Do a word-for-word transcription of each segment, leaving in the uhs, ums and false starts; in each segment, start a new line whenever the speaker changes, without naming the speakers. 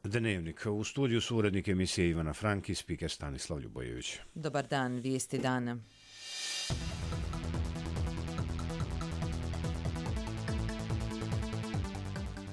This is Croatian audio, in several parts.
Dnevnik. U studiju su urednik emisije Ivana Frank i spiker Stanislav Ljubojević.
Dobar dan, vijesti dana.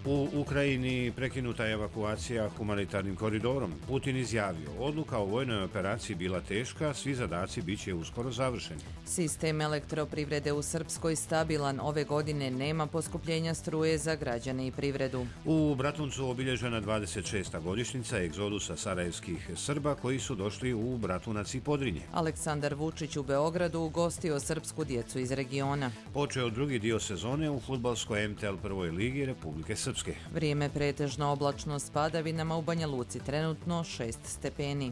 U Ukrajini prekinuta je evakuacija humanitarnim koridorom. Putin izjavio, odluka o vojnoj operaciji bila teška, svi zadaci bit će uskoro završeni.
Sistem elektroprivrede u Srpskoj stabilan, ove godine nema poskupljenja struje za građane i privredu.
U Bratuncu obilježena dvadeset šesta godišnjica egzodusa sarajevskih Srba koji su došli u Bratunac i Podrinje.
Aleksandar Vučić u Beogradu ugostio srpsku djecu iz regiona.
Počeo drugi dio sezone u fudbalskoj M T L prvoj ligi Republike Srpske.
Vrijeme pretežno oblačno s padavinama, u Banja Luci trenutno šest stepeni.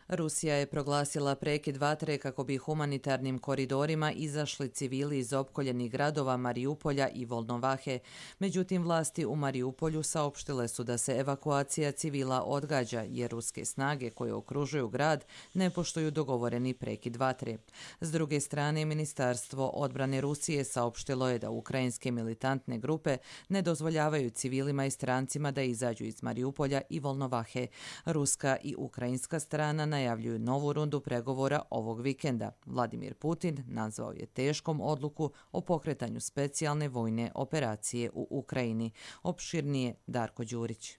Rusija je proglasila prekid vatre kako bi humanitarnim koridorima izašli civili iz opkoljenih gradova Mariupolja i Volnovahe. Međutim, vlasti u Mariupolju saopštile su da se evakuacija civila odgađa jer ruske snage koje okružuju grad ne poštuju dogovoreni prekid vatre. S druge strane, Ministarstvo odbrane Rusije saopštilo je da ukrajinske militantne grupe ne dozvoljavaju civilima i strancima da izađu iz Mariupolja i Volnovahe. Ruska i ukrajinska strana najavljuju novu rundu pregovora ovog vikenda. Vladimir Putin nazvao je teškom odluku o pokretanju specijalne vojne operacije u Ukrajini. Opširnije Darko Đurić.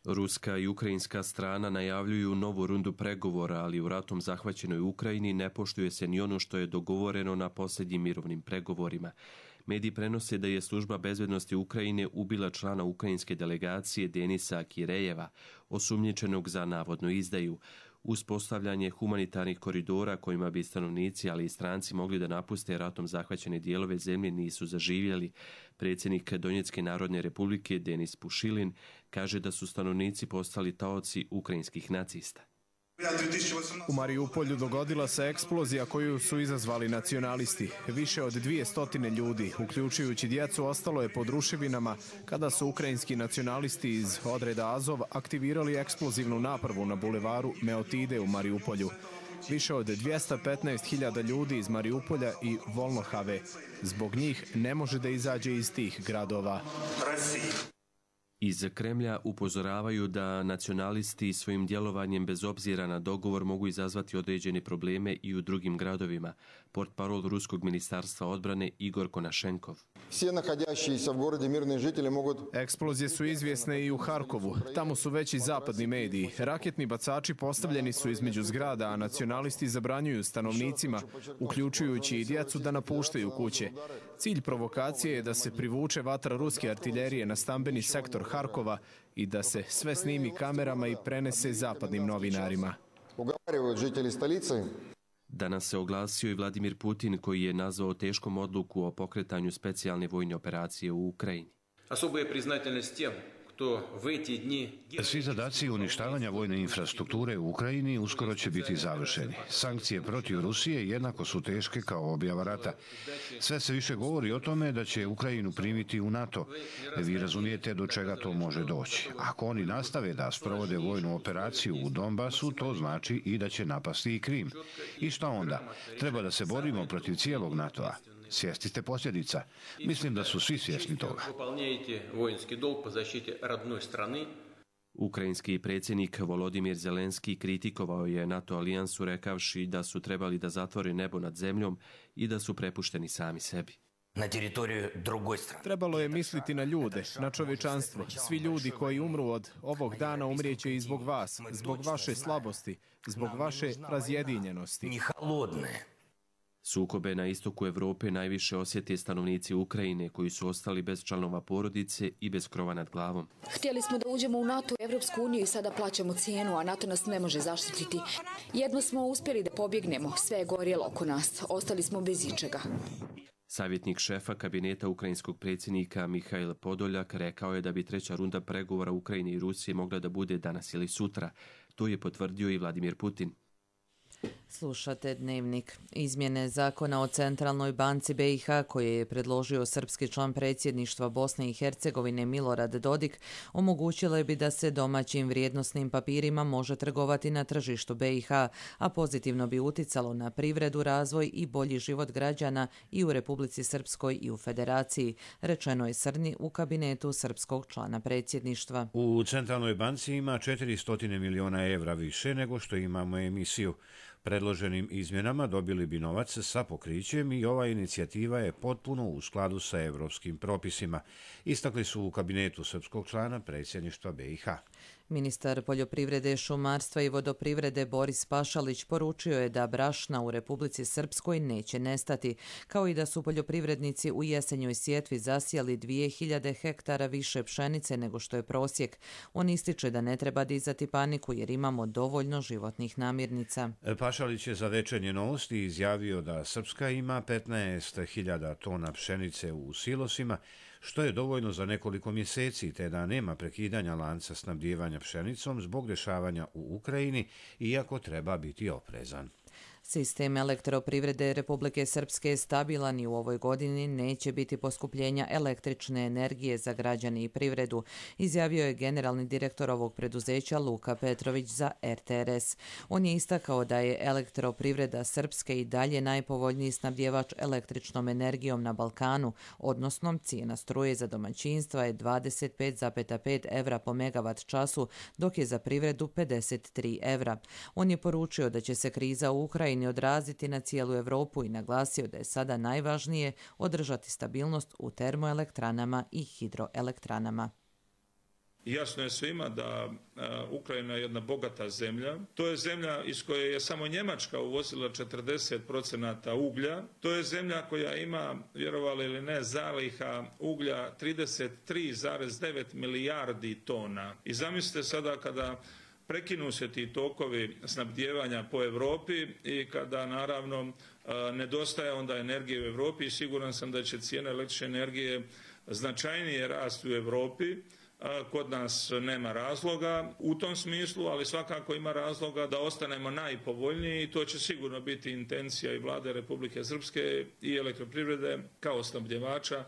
Ruska i ukrajinska strana najavljuju novu rundu pregovora, ali u ratom zahvaćenoj Ukrajini ne poštuje se ni ono što je dogovoreno na posljednjim mirovnim pregovorima. Mediji prenose da je služba bezbednosti Ukrajine ubila člana ukrajinske delegacije Denisa Kirejeva, osumnjičenog za navodnu izdaju. Uspostavljanje humanitarnih koridora kojima bi stanovnici, ali i stranci mogli da napuste ratom zahvaćene dijelove zemlje nisu zaživjeli. Predsjednik Donjecke narodne republike Denis Pušilin kaže da su stanovnici postali taoci ukrajinskih nacista.
U Mariupolju dogodila se eksplozija koju su izazvali nacionalisti. Više od dvije stotine ljudi, uključujući djecu, ostalo je pod ruševinama kada su ukrajinski nacionalisti iz odreda Azov aktivirali eksplozivnu napravu na bulevaru Meotide u Mariupolju. Više od dvjesto petnaest hiljada ljudi iz Mariupolja i Volnohave. Zbog njih ne može da izađe iz tih gradova.
Iz Kremlja upozoravaju da nacionalisti svojim djelovanjem bez obzira na dogovor mogu izazvati određene probleme i u drugim gradovima. Portparol Ruskog ministarstva odbrane Igor Konašenkov.
Eksplozije su izvjesne i u Harkovu. Tamo su već i zapadni mediji. Raketni bacači postavljeni su između zgrada, a nacionalisti zabranjuju stanovnicima, uključujući i djecu, da napuštaju kuće. Cilj provokacije je da se privuče vatra ruske artiljerije na stambeni sektor Harkova i da se sve snimi kamerama i prenese zapadnim novinarima.
Danas se oglasio i Vladimir Putin koji je nazvao teškom odluku o pokretanju specijalne vojne operacije u Ukrajini.
Особая признательность тем, кто в эти дни...
Svi zadaci uništavanja vojne infrastrukture u Ukrajini uskoro će biti završeni. Sankcije protiv Rusije jednako su teške kao objava rata. Sve se više govori o tome da će Ukrajinu primiti u NATO. Vi razumijete do čega to može doći. Ako oni nastave da sprovode vojnu operaciju u Donbasu, to znači i da će napasti i Krim. I šta onda? Treba da se borimo protiv cijelog NATO-a. Svjesni ste posljedica. Mislim da su svi svjesni toga.
Ukrajinski predsjednik Volodimir Zelenski kritikovao je NATO alijansu rekavši da su trebali da zatvore nebo nad zemljom i da su prepušteni sami sebi.
Trebalo je misliti na ljude, na čovječanstvo. Svi ljudi koji umru od ovog dana umrijeće i zbog vas, zbog vaše slabosti, zbog vaše razjedinjenosti.
Sukobe na istoku Europe najviše osjete stanovnici Ukrajine koji su ostali bez članova porodice i bez krova nad glavom.
Htjeli smo da uđemo u NATO i Evropsku uniju i sada plaćamo cijenu, a NATO nas ne može zaštititi. Jedno smo uspjeli da pobjegnemo, sve je gorjelo oko nas, ostali smo bez ičega.
Savjetnik šefa kabineta ukrajinskog predsjednika Mihail Podoljak rekao je da bi treća runda pregovora Ukrajine i Rusije mogla da bude danas ili sutra. To je potvrdio i Vladimir Putin.
Slušate Dnevnik. Izmjene zakona o Centralnoj banci B i H koje je predložio srpski član predsjedništva Bosne i Hercegovine Milorad Dodik omogućile bi da se domaćim vrijednosnim papirima može trgovati na tržištu B i H, a pozitivno bi uticalo na privredu, razvoj i bolji život građana i u Republici Srpskoj i u Federaciji, rečeno je Srni u kabinetu srpskog člana predsjedništva.
U Centralnoj banci ima četiristo miliona evra više nego što imamo emisiju. Predloženim izmjenama dobili bi novac sa pokrićem i ova inicijativa je potpuno u skladu sa evropskim propisima, istakli su u kabinetu srpskog člana predsjedništva B i H.
Ministar poljoprivrede, šumarstva i vodoprivrede Boris Pašalić poručio je da brašna u Republici Srpskoj neće nestati, kao i da su poljoprivrednici u jesenjoj sjetvi zasijali dvije hiljade hektara više pšenice nego što je prosjek. On ističe da ne treba dizati paniku jer imamo dovoljno životnih namirnica.
Pašalić je za Večernje novosti izjavio da Srpska ima petnaest hiljada tona pšenice u silosima, što je dovoljno za nekoliko mjeseci, te da nema prekidanja lanca snabdijevanja pšenicom zbog dešavanja u Ukrajini, iako treba biti oprezan.
Sistem elektroprivrede Republike Srpske je stabilan i u ovoj godini neće biti poskupljenja električne energije za građane i privredu, izjavio je generalni direktor ovog preduzeća Luka Petrović za R T R S. On je istakao da je elektroprivreda Srpske i dalje najpovoljniji snabdjevač električnom energijom na Balkanu, odnosno cijena struje za domaćinstva je dvadeset pet zarez pet evra po megavat času, dok je za privredu pedeset tri evra. On je poručio da će se kriza u Ukrajini odraziti na cijelu Evropu i naglasio da je sada najvažnije održati stabilnost u termoelektranama i hidroelektranama.
Jasno je svima da Ukrajina je jedna bogata zemlja. To je zemlja iz koje je samo Njemačka uvozila četrdeset procenata uglja. To je zemlja koja ima, vjerovali ili ne, zaliha uglja trideset tri zarez devet milijardi tona. I zamislite sada kada prekinu se ti tokovi snabdijevanja po Europi i kada naravno nedostaje onda energije u Europi i siguran sam da će cijena električne energije značajnije rasti u Europi. Kod nas nema razloga u tom smislu, ali svakako ima razloga da ostanemo najpovoljniji i to će sigurno biti intencija i vlade Republike Srpske i elektroprivrede kao snabdjevača.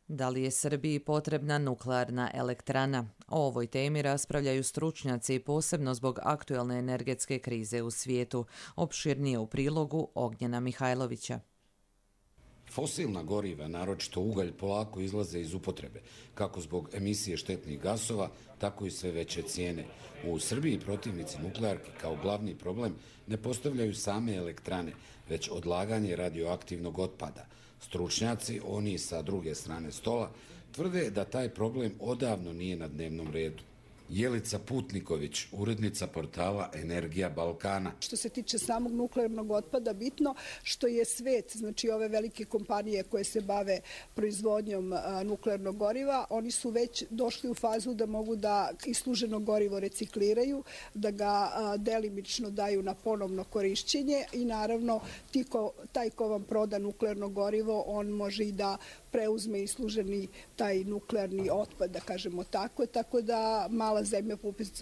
Da li je Srbiji potrebna nuklearna elektrana? O ovoj temi raspravljaju stručnjaci posebno zbog aktuelne energetske krize u svijetu. Opširnije u prilogu Ognjena Mihajlovića.
Fosilna goriva, naročito ugalj, polako izlaze iz upotrebe, kako zbog emisije štetnih gasova, tako i sve veće cijene. U Srbiji protivnici nuklearke kao glavni problem ne postavljaju same elektrane, već odlaganje radioaktivnog otpada. Stručnjaci, oni sa druge strane stola, tvrde da taj problem odavno nije na dnevnom redu. Jelica Putniković, urednica portala Energija Balkana.
Što se tiče samog nuklearnog otpada, bitno što je svet, znači ove velike kompanije koje se bave proizvodnjom nuklearnog goriva, oni su već došli u fazu da mogu da isluženo gorivo recikliraju, da ga delimično daju na ponovno korišćenje i naravno ti ko, taj ko vam proda nuklearno gorivo, on može i da preuzme isluženi taj nuklearni otpad, da kažemo tako, tako da mala zemlja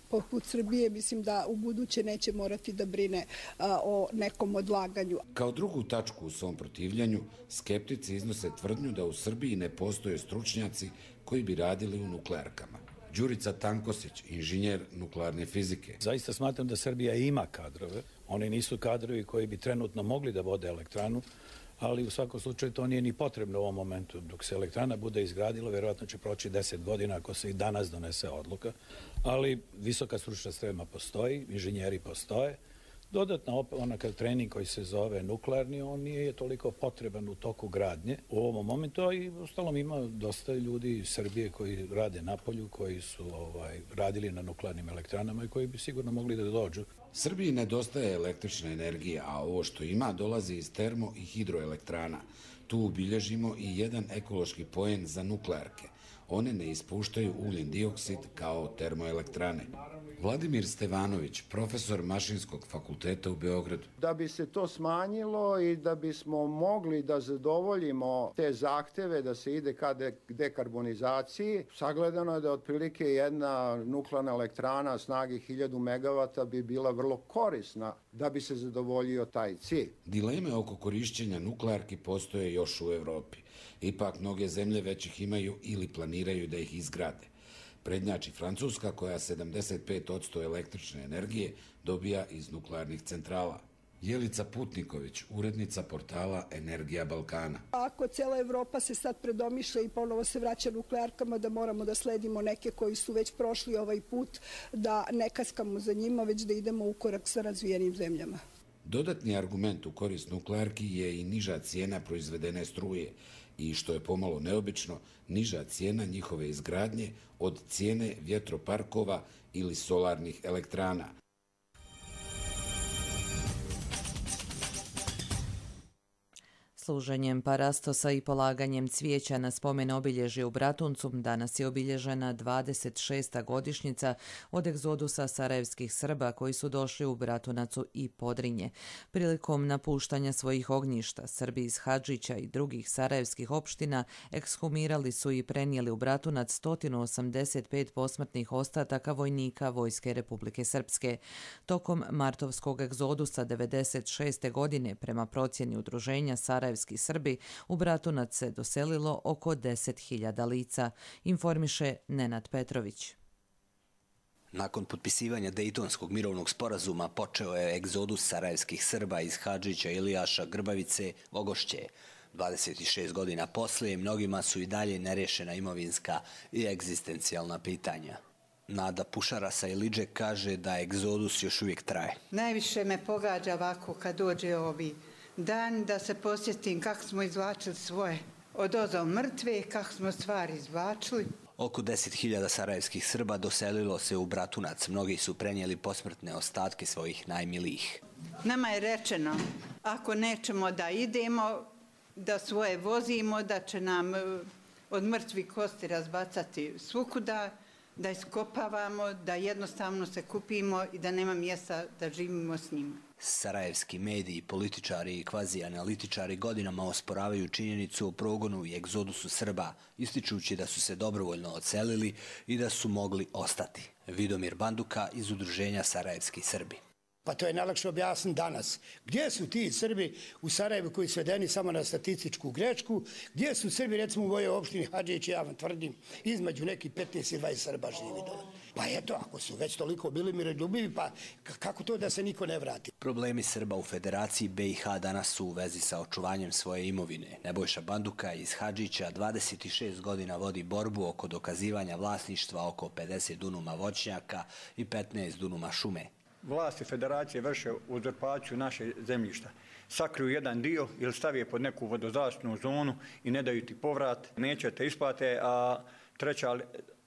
poput Srbije mislim da u buduće neće morati da brine a, o nekom odlaganju.
Kao drugu tačku u svom protivljanju, skeptici iznose tvrdnju da u Srbiji ne postoje stručnjaci koji bi radili u nuklearkama. Đurica Tankosić, inženjer nuklearne fizike.
Zaista smatram da Srbija ima kadrove. Oni nisu kadrovi koji bi trenutno mogli da vode elektranu, ali u svakom slučaju to nije ni potrebno u ovom momentu. Dok se elektrana bude izgradila, vjerojatno će proći deset godina ako se i danas donese odluka, ali visoka stručna sprema postoji, inženjeri postoje. Dodatno, onakav trening koji se zove nuklearni, on nije toliko potreban u toku gradnje u ovom momentu, a i ustalom ima dosta ljudi iz Srbije koji rade na polju, koji su ovaj, radili na nuklearnim elektranama i koji bi sigurno mogli da dođu.
Srbiji nedostaje električna energija, a ovo što ima dolazi iz termo- i hidroelektrana. Tu ubilježimo i jedan ekološki poen za nuklearke. One ne ispuštaju ugljen dioksid kao termoelektrane. Vladimir Stevanović, profesor Mašinskog fakulteta u Beogradu.
Da bi se to smanjilo i da bismo mogli da zadovoljimo te zahteve da se ide ka dekarbonizaciji, sagledano je da otprilike jedna nuklearna elektrana snage hiljadu megavata bi bila vrlo korisna da bi se zadovoljio taj cilj.
Dileme oko korišćenja nuklearki postoje još u Evropi. Ipak mnoge zemlje već ih imaju ili planiraju da ih izgrade. Prednjači Francuska koja sedamdeset pet posto električne energije dobija iz nuklearnih centrala. Jelica Putniković, urednica portala Energija Balkana.
Ako cijela Evropa se sad predomišlja i ponovo se vraća nuklearkama, da moramo da sledimo neke koji su već prošli ovaj put, da ne kaskamo za njima, već da idemo u korak sa razvijenim zemljama.
Dodatni argument u korist nuklearki je i niža cijena proizvedene struje i, što je pomalo neobično, niža cijena njihove izgradnje od cijene vjetroparkova ili solarnih elektrana.
Služenjem parastosa i polaganjem cvijeća na spomen obilježje u Bratuncu danas je obilježena dvadeset šesta godišnjica od egzodusa sarajevskih Srba koji su došli u Bratunacu i Podrinje. Prilikom napuštanja svojih ognjišta, Srbi iz Hadžića i drugih sarajevskih opština ekshumirali su i prenijeli u Bratunac sto osamdeset pet posmrtnih ostataka vojnika Vojske Republike Srpske. Tokom martovskog egzodusa devedeset šeste godine, prema procjeni udruženja Sarajevskih Srbi, u Bratunac se doselilo oko deset hiljada lica, informiše Nenad Petrović.
Nakon potpisivanja Dejtonskog mirovnog sporazuma počeo je egzodus sarajevskih Srba iz Hadžića, Ilijaša, Grbavice, Ogošće. dvadeset šest godina poslije mnogima su i dalje nerešena imovinska i egzistencijalna pitanja. Nada Pušara sa Ilidže kaže da egzodus još uvijek traje.
Najviše me pogađa ovako kad dođe ovi dan da se posjetim kako smo izvlačili svoje odozo mrtve, kako smo stvari izvlačili.
Oko deset hiljada sarajevskih Srba doselilo se u Bratunac. Mnogi su prenijeli posmrtne ostatke svojih najmilijih.
Nama je rečeno, ako nećemo da idemo, da svoje vozimo, da će nam od mrtvih kosti razbacati svukuda, da iskopavamo, da jednostavno se kupimo i da nema mjesta da živimo s njima.
Sarajevski mediji, političari i kvazi-analitičari godinama osporavaju činjenicu o progonu i egzodusu Srba, ističući da su se dobrovoljno odselili i da su mogli ostati. Vidomir Banduka iz udruženja Sarajevski Srbi.
Pa to je najlakše objasniti danas. Gdje su ti Srbi u Sarajevu koji su svedeni samo na statističku grečku? Gdje su Srbi, recimo u mojoj opštini Hadžić, ja vam tvrdim, između nekih petnaest i dvadeset Srba živi dole. Pa eto, ako su već toliko bili miroljubivi, pa kako to da se niko ne vrati?
Problemi Srba u Federaciji B i H danas su u vezi sa očuvanjem svoje imovine. Nebojša Banduka iz Hadžića dvadeset šest godina vodi borbu oko dokazivanja vlasništva oko pedeset dunuma voćnjaka i petnaest dunuma šume.
Vlasti federacije vrše uzurpaciju naše zemljišta. Sakriju jedan dio ili stavi je pod neku vodozaštitnu zonu i ne daju ti povrat. Neće te isplate, a treća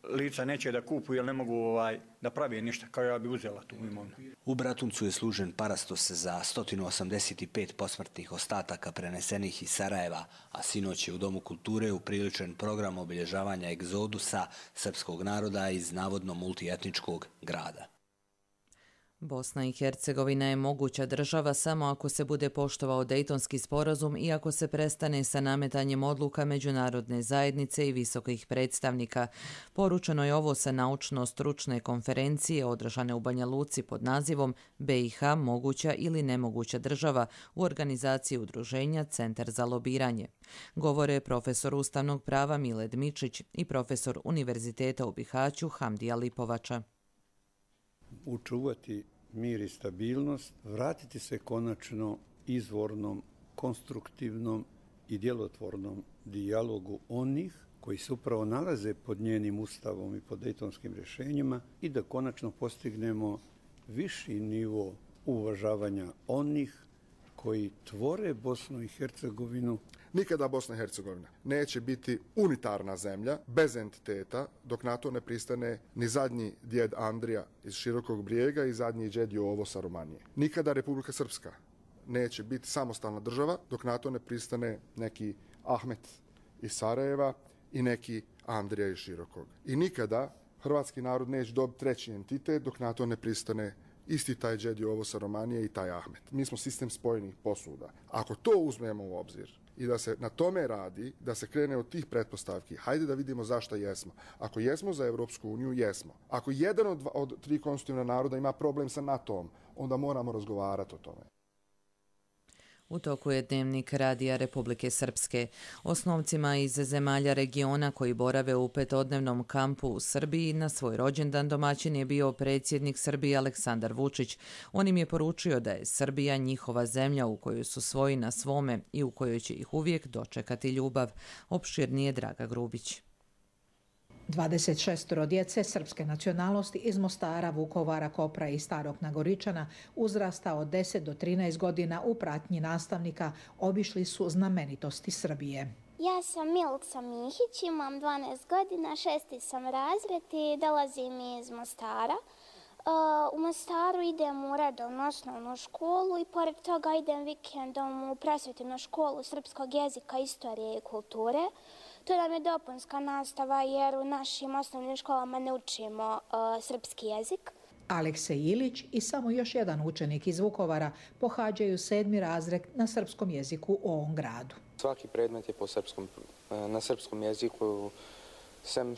lica neće da kupuju jer ne mogu ovaj, da pravi ništa, kao ja bi uzela tu imovinu.
U Bratuncu je služen parastos za sto osamdeset pet posmrtnih ostataka prenesenih iz Sarajeva, a sinoć je u Domu kulture upriličen program obilježavanja egzodusa srpskog naroda iz navodno multietničkog grada.
Bosna i Hercegovina je moguća država samo ako se bude poštovao Dejtonski sporazum i ako se prestane sa nametanjem odluka međunarodne zajednice i visokih predstavnika. Poručeno je ovo sa naučno-stručne konferencije održane u Banja Luci pod nazivom B i H moguća ili nemoguća država u organizaciji udruženja Centar za lobiranje. Govore profesor ustavnog prava Miled Mičić i profesor Univerziteta u Bihaću Hamdija Lipovača.
Učuvati mir i stabilnost, vratiti se konačno izvornom, konstruktivnom i djelotvornom dijalogu onih koji se upravo nalaze pod njenim ustavom i pod dejtonskim rješenjima i da konačno postignemo viši nivo uvažavanja onih koji tvore Bosnu i Hercegovinu.
Nikada Bosna i Hercegovina neće biti unitarna zemlja bez entiteta dok na to ne pristane ni zadnji djed Andrija iz Širokog Brijega i zadnji djed Jovo sa Romanije. Nikada Republika Srpska neće biti samostalna država dok na to ne pristane neki Ahmet iz Sarajeva i neki Andrija iz Širokog. I nikada hrvatski narod neće dobiti treći entitet dok na to ne pristane isti taj Đed Jovo sa Romanije i taj Ahmet. Mi smo sistem spojenih posuda. Ako to uzmemo u obzir i da se na tome radi, da se krene od tih pretpostavki, hajde da vidimo zašto jesmo. Ako jesmo za Evropsku uniju, jesmo. Ako jedan od, dva, od tri konstitutivna naroda ima problem sa NATO-om, onda moramo razgovarati o tome.
U toku je dnevnik Radija Republike Srpske. Osnovcima iz zemalja regiona koji borave u petodnevnom kampu u Srbiji na svoj rođendan domaćin je bio predsjednik Srbije Aleksandar Vučić. On im je poručio da je Srbija njihova zemlja u kojoj su svoji na svome i u kojoj će ih uvijek dočekati ljubav. Opširnije Draga Grubić.
dvadeset šest djece srpske nacionalnosti iz Mostara, Vukovara, Kopra i Starog Nagoričana uzrasta od deset do trinaest godina u pratnji nastavnika obišli su znamenitosti Srbije.
Ja sam Milica Mihić, imam dvanaest godina, šesti sam razred i dolazim iz Mostara. U Mostaru idem u redovnu osnovnu školu i pored toga idem vikendom u prosvjetnu školu srpskog jezika, istorije i kulture. To nam je dopunska nastava jer u našim osnovnim školama ne učimo uh, srpski jezik.
Aleksej Ilić i samo još jedan učenik iz Vukovara pohađaju sedmi razred na srpskom jeziku u ovom gradu.
Svaki predmet je po srpskom, na srpskom jeziku, sem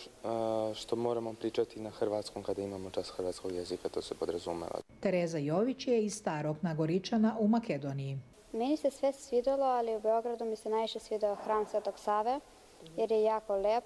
što moramo pričati na hrvatskom kada imamo čas hrvatskog jezika, to se podrazumeva.
Tereza Jović je iz Starog Nagoričana u Makedoniji.
Meni se sve svidjelo, ali u Beogradu mi se najviše svidio hram Svetog Save, jer je jako lep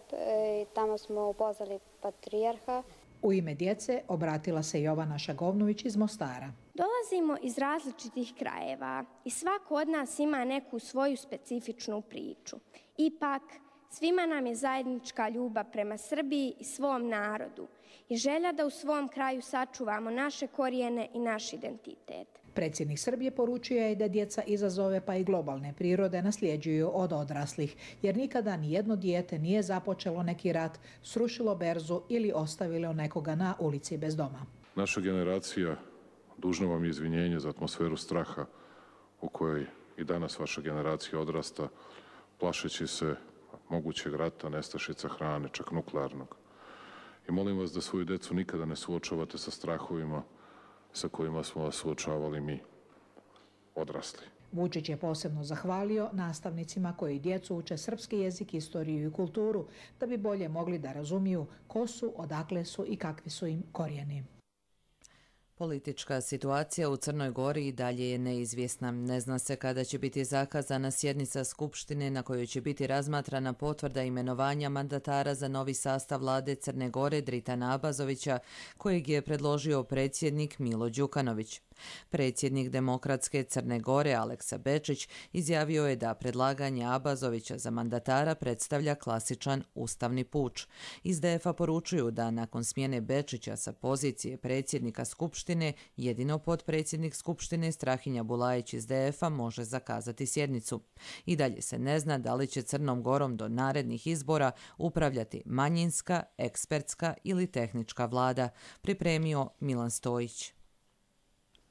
i tamo smo upoznali patrijarha.
U ime djece obratila se Jovana Šagovnović iz Mostara.
Dolazimo iz različitih krajeva i svako od nas ima neku svoju specifičnu priču. Ipak, svima nam je zajednička ljubav prema Srbiji i svom narodu i želja da u svom kraju sačuvamo naše korijene i naš identitet.
Predsjednik Srbije poručio je da djeca izazove pa i globalne prirode nasljeđuju od odraslih, jer nikada ni jedno dijete nije započelo neki rat, srušilo berzu ili ostavilo nekoga na ulici bez doma.
Naša generacija dužna vam je izvinjenje za atmosferu straha u kojoj i danas vaša generacija odrasta, plašeći se mogućeg rata, nestašica hrane, čak nuklearnog. I molim vas da svoju djecu nikada ne suočavate sa strahovima sa kojima smo vas suočavali mi, odrasli.
Vučić je posebno zahvalio nastavnicima koji djecu uče srpski jezik, istoriju i kulturu, da bi bolje mogli da razumiju ko su, odakle su i kakvi su im korijeni.
Politička situacija u Crnoj Gori i dalje je neizvjesna. Ne zna se kada će biti zakazana sjednica Skupštine na kojoj će biti razmatrana potvrda imenovanja mandatara za novi sastav vlade Crne Gore Dritana Abazovića, kojeg je predložio predsjednik Milo Đukanović. Predsjednik Demokratske Crne Gore Aleksa Bečić izjavio je da predlaganje Abazovića za mandatara predstavlja klasičan ustavni puč. Iz D F-a poručuju da nakon smjene Bečića sa pozicije predsjednika Skupštine, jedino potpredsjednik Skupštine Strahinja Bulajić iz D F-a može zakazati sjednicu. I dalje se ne zna da li će Crnom Gorom do narednih izbora upravljati manjinska, ekspertska ili tehnička vlada, pripremio Milan Stojić.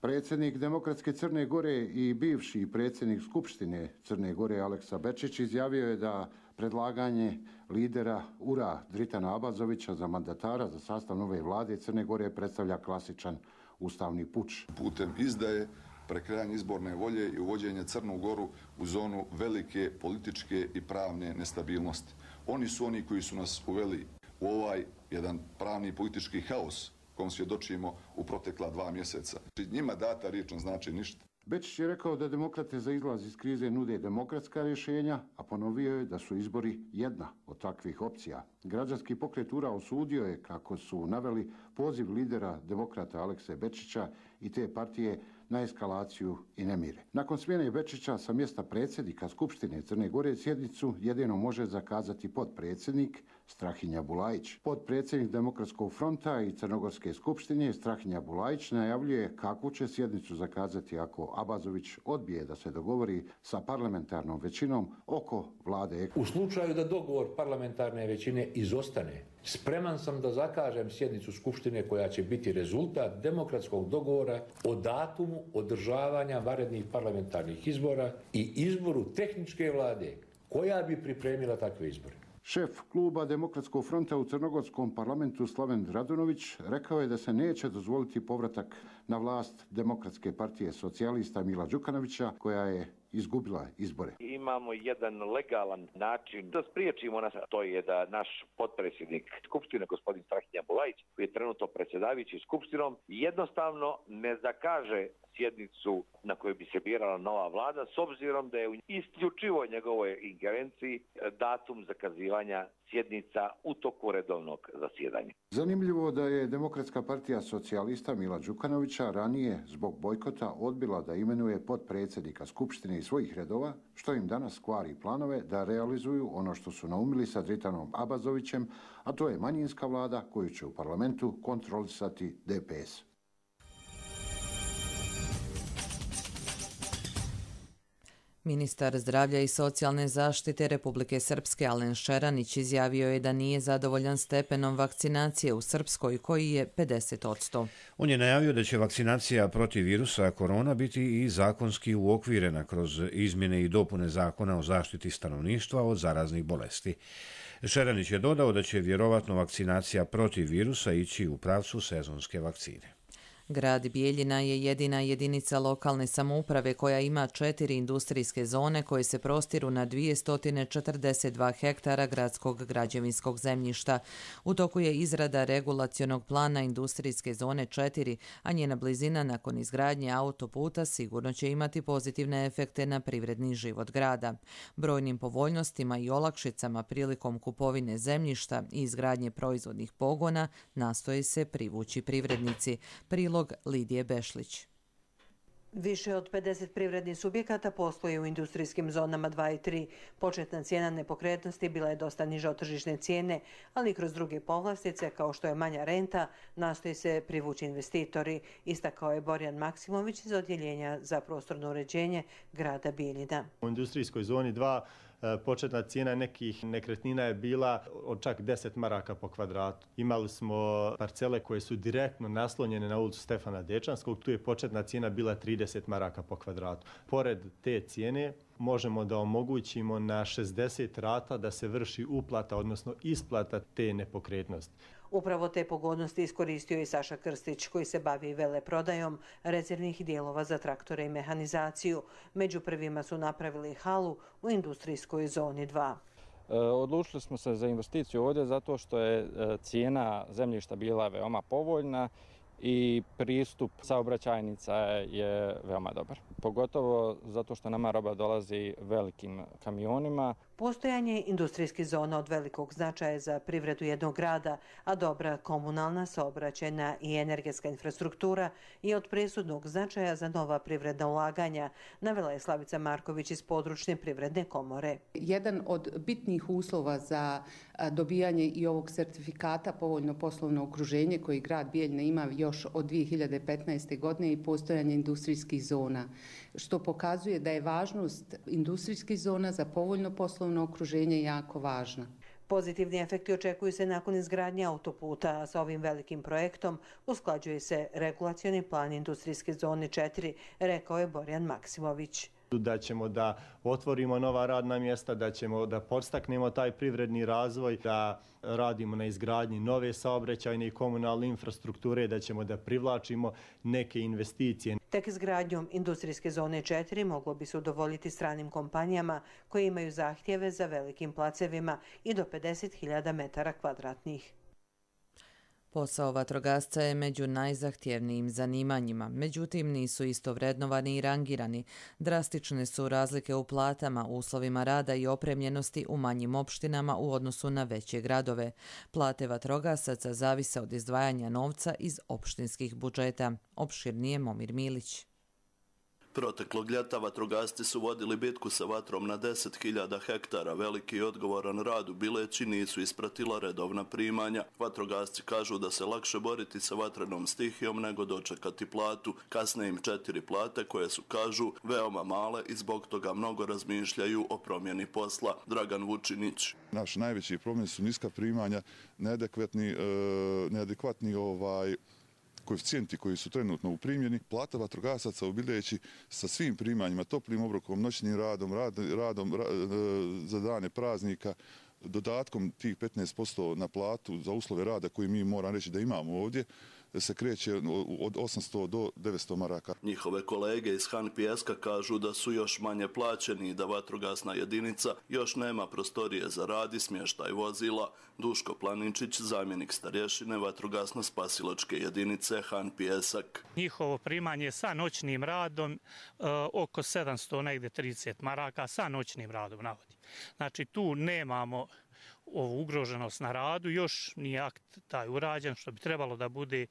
Predsjednik Demokratske Crne Gore i bivši predsjednik Skupštine Crne Gore Aleksa Bečić izjavio je da predlaganje lidera U R A Dritana Abazovića za mandatara za sastav nove vlade Crne Gore predstavlja klasičan ustavni puč.
Putem izdaje, prekrajanje izborne volje i uvođenje Crnu Goru u zonu velike političke i pravne nestabilnosti. Oni su oni koji su nas uveli u ovaj jedan pravni politički haos kom svjedočimo u protekla dva mjeseca. Njima data riječ ne znači ništa.
Bečić je rekao da demokrate za izlaz iz krize nude demokratska rješenja, a ponovio je da su izbori jedna od takvih opcija. Građanski pokret U R A osudio je, kako su naveli, poziv lidera demokrata Alekse Bečića i te partije na eskalaciju i nemire. Nakon smjene Bečića sa mjesta predsjednika Skupštine Crne Gore sjednicu jedino može zakazati potpredsjednik Strahinja Bulajić. Potpredsjednik Demokratskog fronta i Crnogorske skupštine Strahinja Bulajić najavljuje kakvu će sjednicu zakazati ako Abazović odbije da se dogovori sa parlamentarnom većinom oko vlade.
U slučaju da dogovor parlamentarne većine izostane, spreman sam da zakažem sjednicu Skupštine koja će biti rezultat demokratskog dogovora o datumu održavanja vanrednih parlamentarnih izbora i izboru tehničke vlade koja bi pripremila takve izbore.
Šef kluba Demokratskog fronta u Crnogorskom parlamentu Slaven Radunović rekao je da se neće dozvoliti povratak na vlast Demokratske partije socijalista Mila Đukanovića, koja je izgubila izbore.
Imamo jedan legalan način da spriječimo nas, to je da naš potpredsjednik Skupštine, gospodin Strahinja Bulajić, koji je trenutno predsjedavajući Skupštinom, jednostavno ne zakaže sjednicu na kojoj bi se birala nova vlada, s obzirom da je u isključivo njegovoj ingerenciji datum zakazivanja sjednica u toku redovnog zasjedanja.
Zanimljivo da je Demokratska partija socijalista Mila Đukanovića ranije zbog bojkota odbila da imenuje potpredsjednika Skupštine iz svojih redova, što im danas kvari planove da realizuju ono što su naumili sa Dritanom Abazovićem, a to je manjinska vlada koju će u parlamentu kontrolisati D P S.
Ministar zdravlja i socijalne zaštite Republike Srpske Alen Šeranić izjavio je da nije zadovoljan stepenom vakcinacije u Srpskoj, koji je pedeset posto.
On je najavio da će vakcinacija protiv virusa korona biti i zakonski uokvirena kroz izmjene i dopune zakona o zaštiti stanovništva od zaraznih bolesti. Šeranić je dodao da će vjerovatno vakcinacija protiv virusa ići u pravcu sezonske vakcine.
Grad Bijeljina je jedina jedinica lokalne samouprave koja ima četiri industrijske zone koje se prostiru na dvjesto četrdeset dva hektara gradskog građevinskog zemljišta. U toku je izrada regulacionog plana industrijske zone četiri, a njena blizina nakon izgradnje autoputa sigurno će imati pozitivne efekte na privredni život grada. Brojnim povoljnostima i olakšicama prilikom kupovine zemljišta i izgradnje proizvodnih pogona nastoje se privući privrednici. Prilog Lidije Bešlić.
Više od pedeset privrednih subjekata posluje u industrijskim zonama dva i tri. Početna cijena nepokretnosti bila je dosta niža od tržišne cijene, ali kroz druge povlastice, kao što je manja renta, nastoji se privući investitori, istakao je Borjan Maksimović iz Odjeljenja za prostorno uređenje grada Bijeljina.
U industrijskoj zoni dva početna cijena nekih nekretnina je bila od čak deset maraka po kvadratu. Imali smo parcele koje su direktno naslonjene na ulicu Stefana Dečanskog, tu je početna cijena bila trideset maraka po kvadratu. Pored te cijene možemo da omogućimo na šezdeset rata da se vrši uplata, odnosno isplata te nepokretnosti.
Upravo te pogodnosti iskoristio i Saša Krstić, koji se bavi veleprodajom rezervnih dijelova za traktore i mehanizaciju. Među prvima su napravili halu u industrijskoj zoni dva.
Odlučili smo se za investiciju ovdje zato što je cijena zemljišta bila veoma povoljna i pristup saobraćajnica je veoma dobar. Pogotovo zato što nama roba dolazi velikim kamionima.
Postojanje industrijskih zona od velikog značaja za privredu jednog grada, a dobra komunalna, saobraćajna i energetska infrastruktura je od presudnog značaja za nova privredna ulaganja, navela je Slavica Marković iz područne privredne komore.
Jedan od bitnih uslova za dobijanje i ovog sertifikata povoljno poslovno okruženje koji grad Bijeljina ima još od dvije hiljade petnaeste. godine i postojanje industrijskih zona, što pokazuje da je važnost industrijskih zona za povoljno poslovno okruženje jako važna.
Pozitivni efekti očekuju se nakon izgradnje autoputa, a sa ovim velikim projektom usklađuje se regulacioni plan industrijske zone četiri, rekao je Borjan Maksimović.
Da ćemo da otvorimo nova radna mjesta, da ćemo da podstaknemo taj privredni razvoj, da radimo na izgradnji nove saobraćajne i komunalne infrastrukture, da ćemo da privlačimo neke investicije.
Tek izgradnjom industrijske zone četiri moglo bi se udovoljiti stranim kompanijama koje imaju zahtjeve za velikim placevima i do pedeset hiljada metara kvadratnih.
Posao vatrogasca je među najzahtjevnijim zanimanjima, međutim nisu isto vrednovani i rangirani. Drastične su razlike u platama, uslovima rada i opremljenosti u manjim opštinama u odnosu na veće gradove. Plate vatrogasaca zavise od izdvajanja novca iz opštinskih budžeta. Opširnije Momir Milić.
Proteklog ljeta vatrogasci su vodili bitku sa vatrom na deset hiljada hektara. Veliki i odgovoran rad u Bileći nisu ispratila redovna primanja. Vatrogasci kažu da se lakše boriti sa vatrenom stihijom nego dočekati platu. Kasne im četiri plate koje su, kažu, veoma male i zbog toga mnogo razmišljaju o promjeni posla. Dragan Vučinić.
Naš najveći problem su niska primanja, neadekvatni, e, neadekvatni ovaj koeficijenti koji su trenutno u primjeni. Plata vatrogasaca u Bileći sa svim primanjima, toplim obrokom, noćnim radom, rad, radom ra, za dane praznika dodatkom tih petnaest posto na platu za uslove rada koji mi moram reći da imamo ovdje se kreće od osamsto do devetsto maraka.
Njihove kolege iz Han Pijeska kažu da su još manje plaćeni i da vatrogasna jedinica još nema prostorije za rad i smještaj vozila. Duško Planinčić, zamjenik starješine vatrogasno-spasilačke jedinice Han Pijesak.
Njihovo primanje sa noćnim radom e, oko sedamsto negdje trideset maraka sa noćnim radom navodi. Znači tu nemamo ovu ugroženost na radu, još nije akt taj urađen, što bi trebalo da bude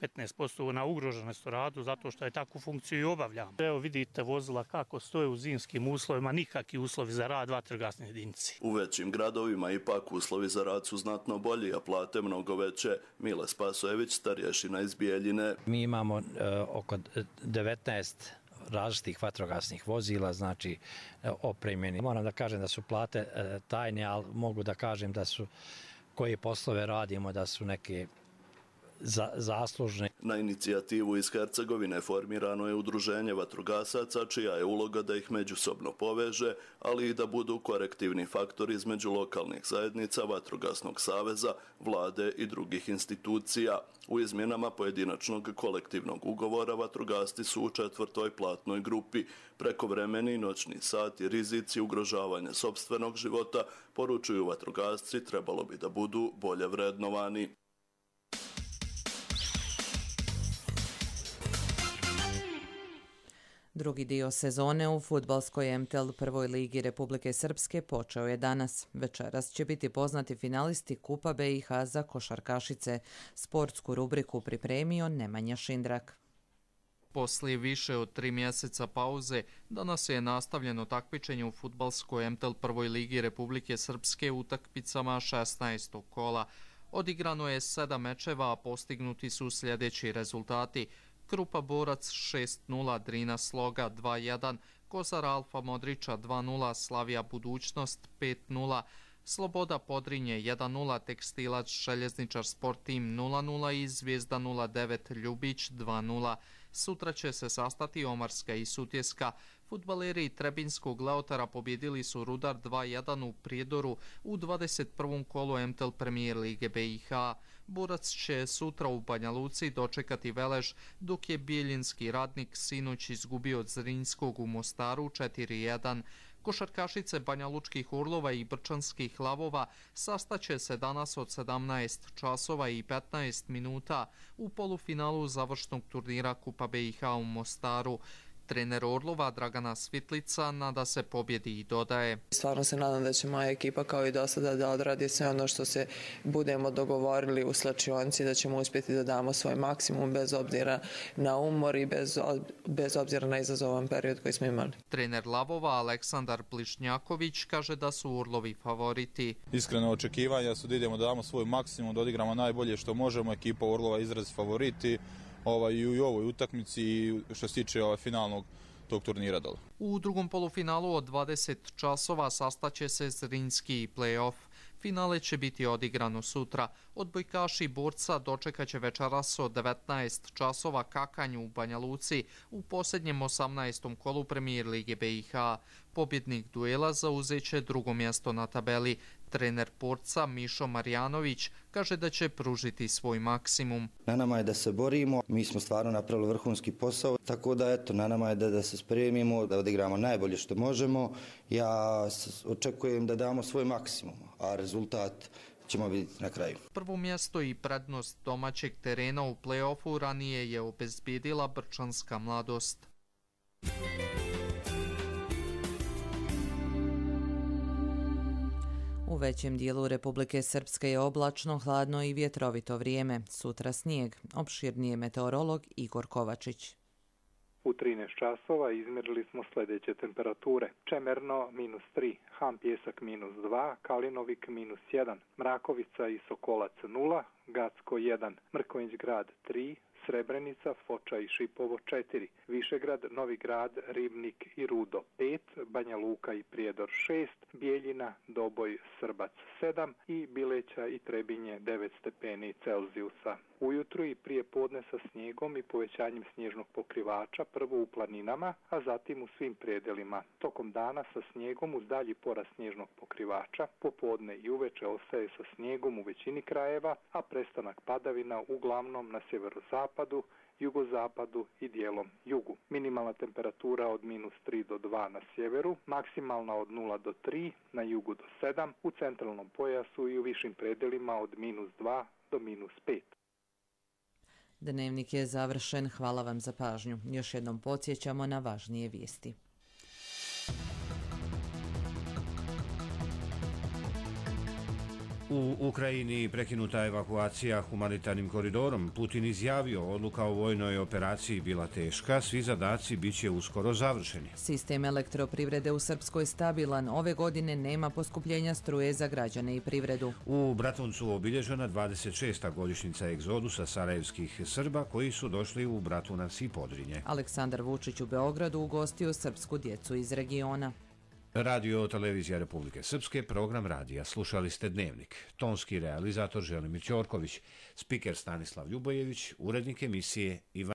petnaest posto na ugroženost u radu, zato što je takvu funkciju i obavljamo. Evo vidite vozila kako stoje u zimskim uslovima, nikakvi uslovi za rad vatrogasne jedinice.
U većim gradovima ipak uslovi za rad su znatno bolji, a plate mnogo veće. Mile Spasojević, starješina iz Bijeljine.
Mi imamo uh, oko devetnaest različitih vatrogasnih vozila, znači opremljeni. Moram da kažem da su plate tajne, ali mogu da kažem da su koje poslove radimo, da su neke za, zaslužne.
Na inicijativu iz Hercegovine formirano je udruženje vatrogasaca, čija je uloga da ih međusobno poveže, ali i da budu korektivni faktori između lokalnih zajednica, vatrogasnog saveza, vlade i drugih institucija. U izmjenama pojedinačnog kolektivnog ugovora vatrogasci su u četvrtoj platnoj grupi. Prekovremeni noćni sati, rizici ugrožavanja sopstvenog života, poručuju vatrogasci, trebalo bi da budu bolje vrednovani.
Drugi dio sezone u fudbalskoj M T L prvoj ligi Republike Srpske počeo je danas. Večeras će biti poznati finalisti Kupa B i H za košarkašice. Sportsku rubriku pripremio Nemanja Šindrak.
Poslije više od tri mjeseca pauze, danas je nastavljeno takmičenje u fudbalskoj M T L prvoj ligi Republike Srpske utakmicama šesnaestog kola. Odigrano je sedam mečeva, a postignuti su sljedeći rezultati. Krupa Borac šest nula, Drina Sloga dva jedan, Kozar Alfa Modrića dva nula, Slavija Budućnost pet nula, Sloboda Podrinje jedan nula, Tekstilac Željezničar Sport Team nula nula i Zvijezda nula devet Ljubić dva nula. Sutra će se sastati Omarska i Sutjeska. Fudbaleri Trebinskog Leotara pobjedili su Rudar dva jedan u Prijedoru u dvadeset prvom kolu M T L Premier Lige B i H. Borac će sutra u Banja Luci dočekati Velež, dok je Bijeljinski Radnik sinoć izgubio od Zrinjskog u Mostaru četiri jedan. Košarkašice Banja Lučkih Orlova i Brčanskih Lavova sastaće se danas od sedamnaest časova i petnaest minuta u polufinalu završnog turnira Kupa B i H u Mostaru. Trener Orlova Dragana Svitlica nada se pobjedi i dodaje:
Stvarno se nadam da će moja ekipa kao i do sada da odradi sve ono što se budemo dogovorili u slačionici, da ćemo uspjeti da damo svoj maksimum bez obzira na umor i bez, bez obzira na izazovan period koji smo imali.
Trener Lavova Aleksandar Plišnjaković kaže da su Orlovi favoriti.
Iskreno očekivanja su da idemo da damo svoj maksimum, da odigramo najbolje što možemo. Ekipa Orlova izraz favoriti ovaj, i u ovoj utakmici i što se tiče ovaj, finalnog tog turnira dole.
U drugom polufinalu od dvadeset časova sastaće se Zrinjski play-off. Finale će biti odigrano sutra. Odbojkaši Borca dočekat će večeras od devetnaest časova Kakanju u Banja Luci u posljednjem osamnaestom kolu Premier Lige B i H. Pobjednik duela zauzeće drugo mjesto na tabeli. Trener Borca Mišo Marjanović kaže da će pružiti svoj maksimum.
Na nama je da se borimo, mi smo stvarno napravili vrhunski posao, tako da eto, na nama je da, da se spremimo, da odigramo najbolje što možemo. Ja očekujem da damo svoj maksimum, a rezultat ćemo vidjeti na kraju.
Prvo mjesto i prednost domaćeg terena u play-offu ranije je obezbijedila Brčanska Mladost.
U većem dijelu Republike Srpske je oblačno, hladno i vjetrovito vrijeme. Sutra snijeg. Opširnije meteorolog Igor Kovačić.
U trinaest časova izmjerili smo sljedeće temperature. Čemerno minus tri, Han Pjesak minus dva, Kalinovik minus jedan, Mrakovica i Sokolac nula, Gacko jedan, Mrkonjić Grad tri, Srebrenica, Foča i Šipovo četiri, Višegrad, Novi Grad, Ribnik i Rudo pet, Banja Luka i Prijedor šest, Bijeljina, Doboj, Srbac sedam i Bileća i Trebinje devet stepeni Celzijusa. Ujutru i prije podne sa snijegom i povećanjem snježnog pokrivača, prvo u planinama, a zatim u svim predelima. Tokom dana sa snijegom uz dalji porast snježnog pokrivača, popodne i uveče ostaje sa snijegom u većini krajeva, a prestanak padavina uglavnom na sjeverozapadu, jugozapadu i dijelom jugu. Minimalna temperatura od minus tri do dva na sjeveru, maksimalna od nula do tri, na jugu do sedam, u centralnom pojasu i u višim predelima od minus dva do minus pet.
Dnevnik je završen. Hvala vam za pažnju. Još jednom podsjećamo na važnije vijesti.
U Ukrajini prekinuta evakuacija humanitarnim koridorom. Putin izjavio, odluka o vojnoj operaciji bila teška, svi zadaci bit će uskoro završeni.
Sistem elektroprivrede u Srpskoj stabilan. Ove godine nema poskupljenja struje za građane i privredu.
U Bratuncu obilježena dvadeset šesta godišnjica egzodusa sarajevskih Srba koji su došli u Bratunac i Podrinje.
Aleksandar Vučić u Beogradu ugostio srpsku djecu iz regiona.
Radio Televizija Republike Srpske, program radija. Slušali ste Dnevnik. Tonski realizator Želimir Ćorković, spiker Stanislav Ljubojević, urednik emisije Ivan